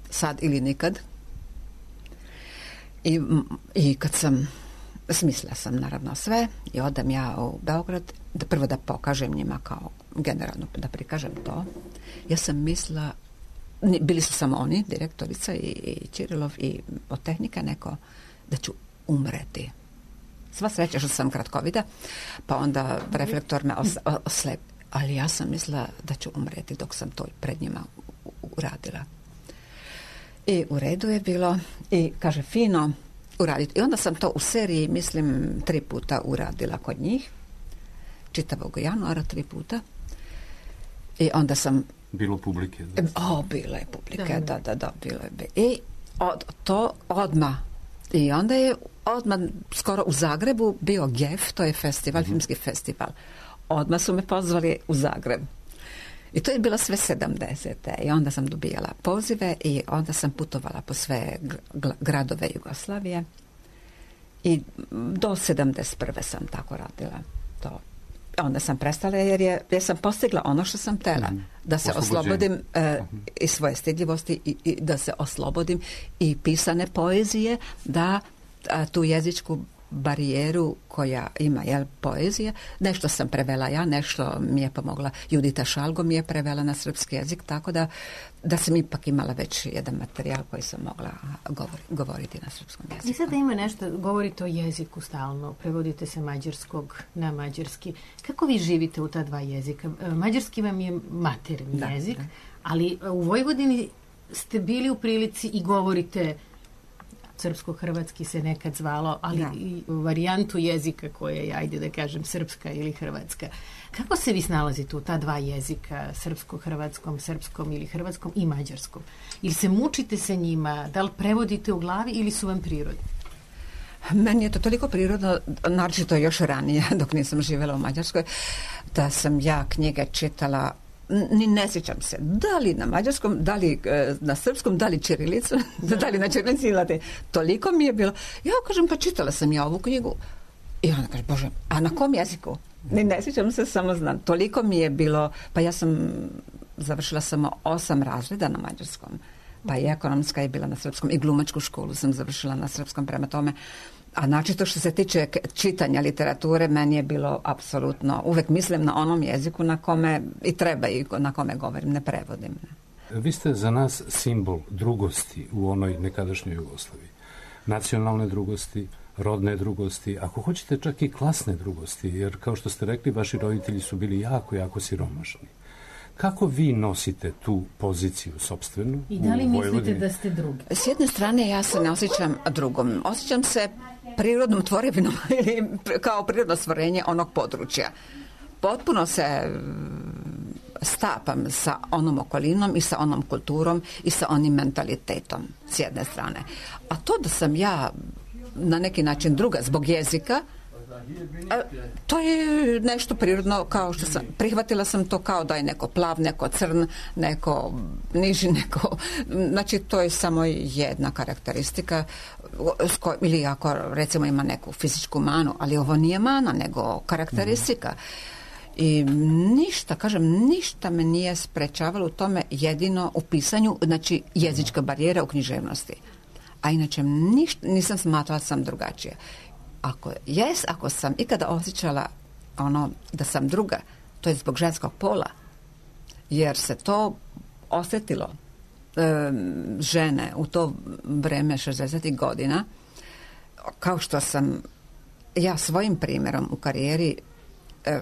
sad ili nikad. I, i kad sam smislila sam naravno sve i odam ja u Beograd, da prvo da pokažem njima kao generalno, da prikažem to. Ja sam mislila, bili su samo oni, direktorica i, i Čirilov i od tehnika neko, da ću umreti. Sva sreća što sam kratkovida, pa onda reflektor me os, oslep. Ali ja sam mislila da ću umreti dok sam to pred njima uradila. I u redu je bilo i kaže fino uraditi. I onda sam to u seriji, mislim, tri puta uradila kod njih. Čitavog januara tri puta. I onda sam... Bilo publike. Da. O, bilo je publike, da, da, da, bilo je. I od, to odmah. I onda je odmah skoro u Zagrebu bio G E F, to je festival, mm-hmm. filmski festival. Odmah su me pozvali u Zagreb. I to je bilo sve sedamdesete. I onda sam dobijala pozive i onda sam putovala po sve gradove Jugoslavije. I do sedamdeset prve sam tako radila to. Onda sam prestala jer, je, jer sam postigla ono što sam tela. Mm. Da se oslobodim uh, uh-huh. i svoje stidljivosti i, i da se oslobodim i pisane poezije, da a, tu jezičku barijeru koja ima, jel, poezija. Nešto sam prevela ja, nešto mi je pomogla. Judita Šalgo mi je prevela na srpski jezik, tako da, da sam ipak imala već jedan materijal koji sam mogla govori, govoriti na srpskom jeziku. I sada ima nešto, govorite o jeziku stalno, prevodite se mađarskog na mađarski. Kako vi živite u ta dva jezika? Mađarski vam je maternji da, jezik, da. Ali u Vojvodini ste bili u prilici i govorite srpsko-hrvatski se nekad zvalo, ali da. I varijantu jezika koja je, ajde da kažem, srpska ili hrvatska. Kako se vi snalazite u ta dva jezika, srpsko-hrvatskom, srpskom ili hrvatskom i mađarskom? Ili se mučite sa njima, da li prevodite u glavi ili su vam prirodni? Meni je to toliko prirodno, naročito još ranije, dok nisam živjela u Mađarskoj, da sam ja knjige čitala, ni ne sjećam se, da li na mađarskom, da li e, na srpskom, da li čirilicu, da li na čirilici ili latini. Toliko mi je bilo. Ja kažem, pa čitala sam ja ovu knjigu. I ona kaže, Bože, a na kom jeziku? Ni ne sjećam se, samo znam. Toliko mi je bilo, pa ja sam završila samo osam razreda na mađarskom. Pa i ekonomska je bila na srpskom i glumačku školu sam završila na srpskom, prema tome. A načito što se tiče čitanja literature, meni je bilo apsolutno, uvek mislim na onom jeziku na kome i treba i na kome govorim, ne prevodim. Vi ste za nas simbol drugosti u onoj nekadašnjoj Jugoslaviji. Nacionalne drugosti, rodne drugosti, ako hoćete čak i klasne drugosti, jer kao što ste rekli, vaši roditelji su bili jako, jako siromašni. Kako vi nosite tu poziciju sopstvenu? I da li mislite da ste drugi? S jedne strane ja se ne osjećam drugom. Osjećam se prirodnom tvorevinom ili kao prirodno stvorenje onog područja. Potpuno se stapam sa onom okolinom i sa onom kulturom i sa onim mentalitetom s jedne strane. A to da sam ja na neki način druga zbog jezika, to je nešto prirodno, kao što sam prihvatila sam to kao da je neko plav, neko crn, neko niži, neko, znači to je samo jedna karakteristika ili ako recimo ima neku fizičku manu, ali ovo nije mana nego karakteristika. I ništa, kažem, ništa me nije sprečavalo u tome, jedino u pisanju, znači jezička barijera u književnosti. A inače ništa, nisam smatrala sam drugačije. Ako jes, ako sam ikada osjećala ono da sam druga, to je zbog ženskog pola, jer se to osjetilo e, žene u to vreme šezdesetih godina, kao što sam ja svojim primjerom u karijeri e,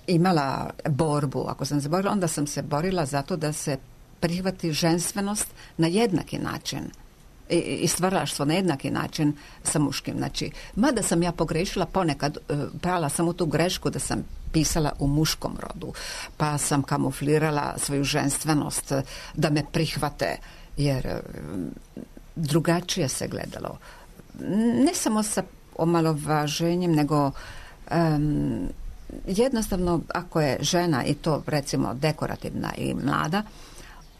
imala borbu, ako sam se borila, onda sam se borila zato da se prihvati ženstvenost na jednaki način i stvaralaštvo na jednaki način sa muškim. Znači, mada sam ja pogrešila ponekad, prala sam u tu grešku da sam pisala u muškom rodu, pa sam kamuflirala svoju ženstvenost da me prihvate, jer drugačije se gledalo. Ne samo sa omalovaženjem, nego um, jednostavno ako je žena i to recimo dekorativna i mlada,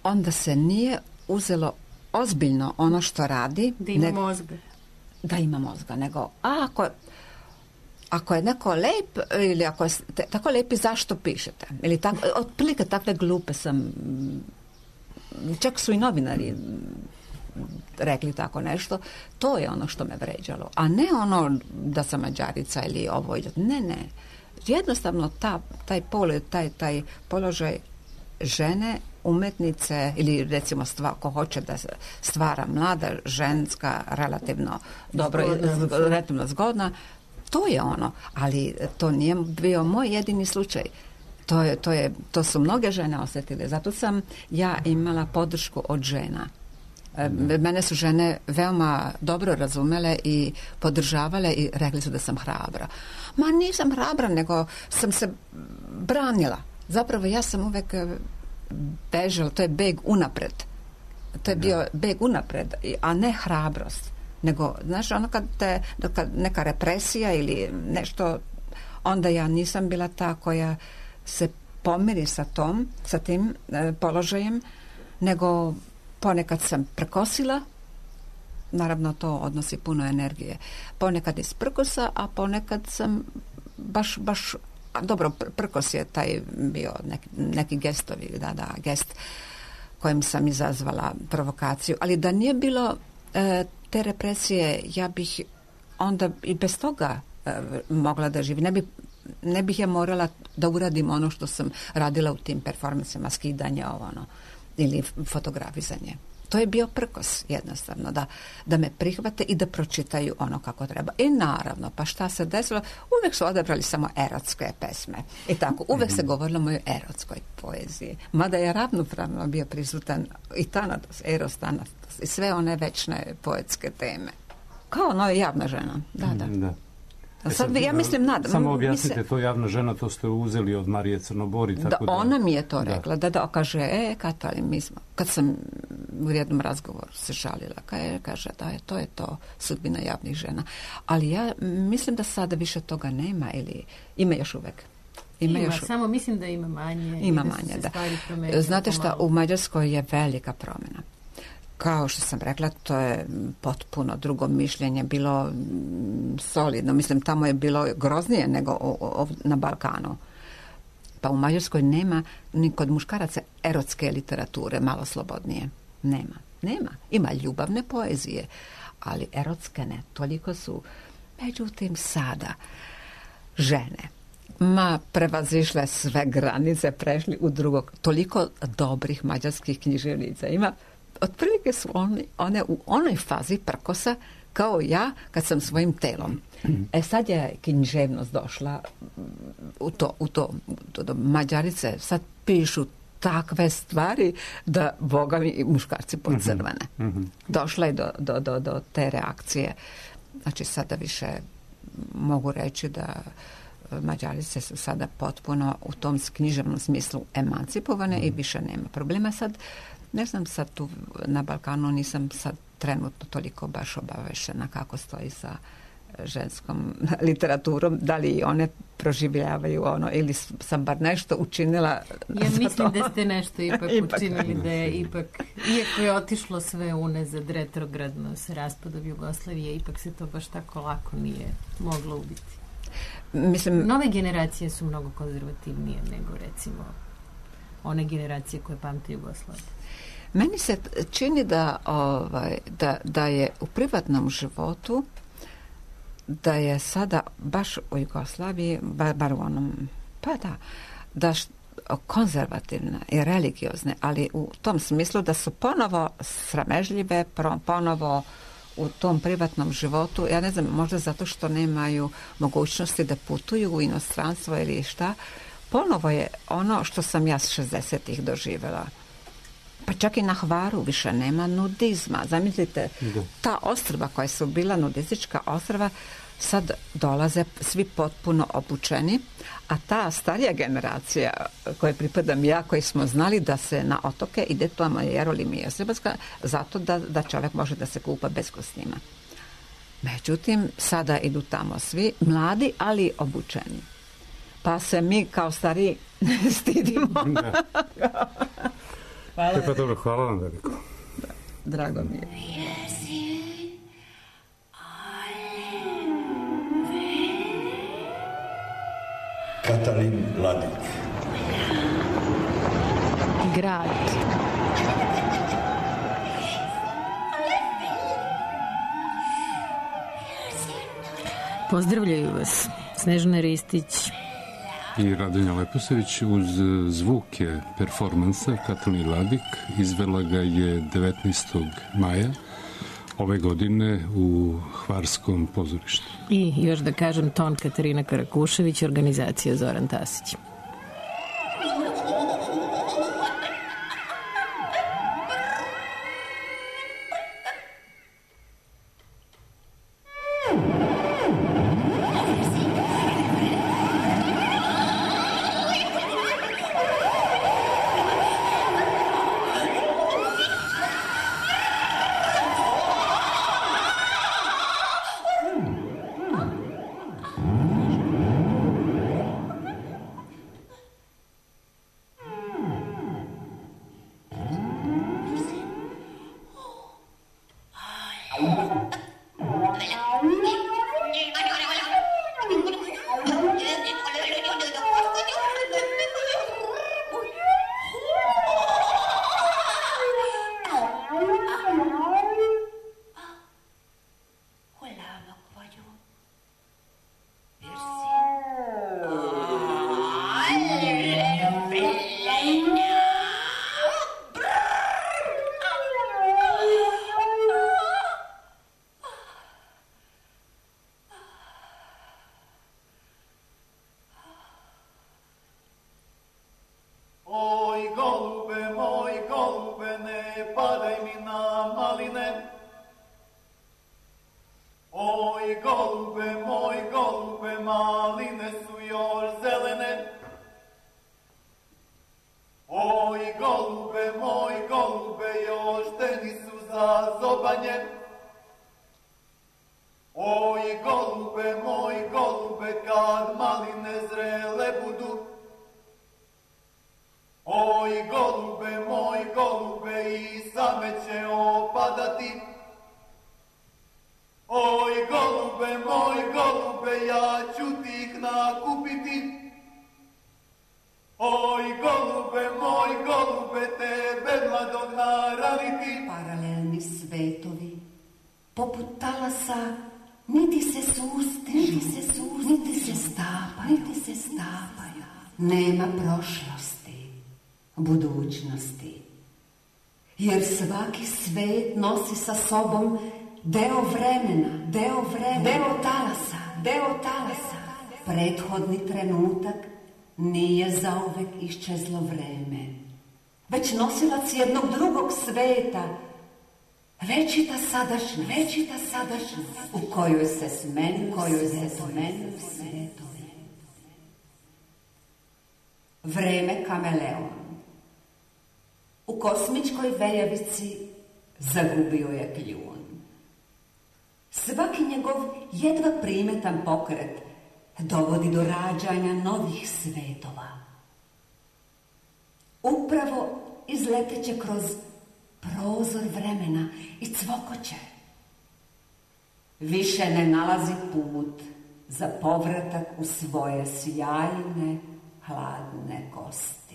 onda se nije uzelo ozbiljno ono što radi. Da ima mozga. da ima mozga, nego a, ako, ako je neko lep ili ako je tako lepi, zašto pišete? Ili tako, otprilike takve glupe sam, čak su i novinari rekli tako nešto, to je ono što me vređalo, a ne ono da sam Mađarica ili ovo, ne, ne. Jednostavno ta, taj položaj, taj, taj položaj žene, umetnice ili recimo stva, ko hoće da stvara mlada, ženska, relativno dobro, zgodna. relativno zgodna, to je ono, ali to nije bio moj jedini slučaj. To, je, to, je, to su mnoge žene osjetile, zato sam ja imala podršku od žena. Mene su žene veoma dobro razumele i podržavale i rekli su da sam hrabra. Ma nisam hrabra, nego sam se branila. Zapravo ja sam uvek bežala, to je beg unapred. To je bio beg unapred, a ne hrabrost. Nego, znaš, ono kad, te, kad neka represija ili nešto, onda ja nisam bila ta koja se pomiri sa tom, sa tim e, položajem, nego ponekad sam prkosila, naravno to odnosi puno energije, ponekad iz prkosa, a ponekad sam baš, baš, a dobro, prkos je taj bio neki, neki gestovi, da, da, gest kojim sam izazvala provokaciju, ali da nije bilo e, te represije, ja bih onda i bez toga e, mogla da živim, ne bi ne bih ja morala da uradim ono što sam radila u tim performansima, skidanje ovo ono, ili fotografizanje. To je bio prkos jednostavno, da, da me prihvate i da pročitaju ono kako treba. I naravno, pa šta se desilo? Uvek su odabrali samo erotske pesme. I tako, uvek se govorilo o mojoj erotskoj poeziji. Mada je ravnopravno bio prisutan i Thanatos, Eros, Thanatos i sve one večne poetske teme. Kao ono je javna žena. Da, da. da. Sad, sad, ja mislim, nadam. Samo objasnite, to javna žena, to ste uzeli od Marije Crnobori. Tako da, da, ona mi je to rekla, da, da, kaže, e, Katali, mi smo, kad sam u jednom razgovoru se žalila, kaže, kaže da je, to je to sudbina javnih žena. Ali ja mislim da sada više toga nema, ili ima još uvek. Ima, ima još... samo mislim da ima manje. Ima da manje, da. Znate šta, u Mađarskoj je velika promjena. Kao što sam rekla, to je potpuno drugo mišljenje, bilo solidno. Mislim, tamo je bilo groznije nego o, o, na Balkanu. Pa u Mađarskoj nema ni kod muškaraca erotske literature, malo slobodnije. Nema. Nema. Ima ljubavne poezije, ali erotske ne. Toliko su. Međutim, sada žene ma prevazišle sve granice, prešli u drugog. Toliko dobrih mađarskih književnica ima. Otprilike su one, one u onoj fazi prkosa kao ja kad sam svojim telom. E sad je književnost došla u to, u to, to do Mađarice sad pišu takve stvari da boga mi muškarci pocrvene. Mm-hmm. Došla je do, do, do, do te reakcije. Znači sada više mogu reći da Mađarice su sada potpuno u tom književnom smislu emancipovane mm-hmm. i više nema problema. Sad ne znam, sad tu na Balkanu nisam sad trenutno toliko baš obavešena kako stoji sa ženskom literaturom, da li one proživljavaju ono ili sam bar nešto učinila. Ja mislim da ste nešto ipak, ipak učinili, da je ipak, iako je otišlo sve unazad retrogradno sa raspadom Jugoslavije, ipak se to baš tako lako nije moglo ubiti. Mislim, nove generacije su mnogo konzervativnije nego recimo one generacije koje pamte Jugoslaviju. Meni se čini da, ovaj, da, da je u privatnom životu da je sada baš u Jugoslaviji, bar, bar u onom, pa da, da š, konzervativne i religiozne, ali u tom smislu da su ponovo sramežljive, ponovo u tom privatnom životu, ja ne znam, možda zato što nemaju mogućnosti da putuju u inostranstvo ili šta, ponovo je ono što sam ja s šezdesetih doživjela. Pa čak i na Hvaru više nema nudizma. Zamislite, ta ostrva koja su bila nudistička ostrva, sad dolaze svi potpuno obučeni, a ta starija generacija koje pripadam ja, koji smo znali da se na otoke ide tamo Jerolim i Josipovska, zato da, da čovjek može da se kupa bez kostima. Međutim, sada idu tamo svi mladi, ali obučeni. Pa se mi kao stariji stidimo. Hvala. Pa dobro, hvala vam veliko. Da, drago mi je. Yes, you are. Katalin Ladik. Grad. Pozdravljaju vas Snežana Ristić i Radonja Leposević. Uz zvuke performansa Katalin Ladik izvela ga je devetnaestog maja ove godine u Hvarskom pozorištu. I još da kažem ton Katarina Karakušević, organizacija Zoran Tasić. Jer svaki svet nosi sa sobom deo vremena, deo vremena, deo talasa, deo talasa. Prethodni trenutak nije zauvek iščezlo vreme, već nosilac jednog drugog sveta, večita sadašnja, večita sadašnja, u kojoj se smenju, kojoj se smenju svetovi. Vreme kameleon. U kosmičkoj veljavici zagubio je kljun. Svaki njegov jedva primetan pokret dovodi do rađanja novih svetova. Upravo izleteće kroz prozor vremena i cvokoće. Više ne nalazi put za povratak u svoje sjajne, hladne kosti.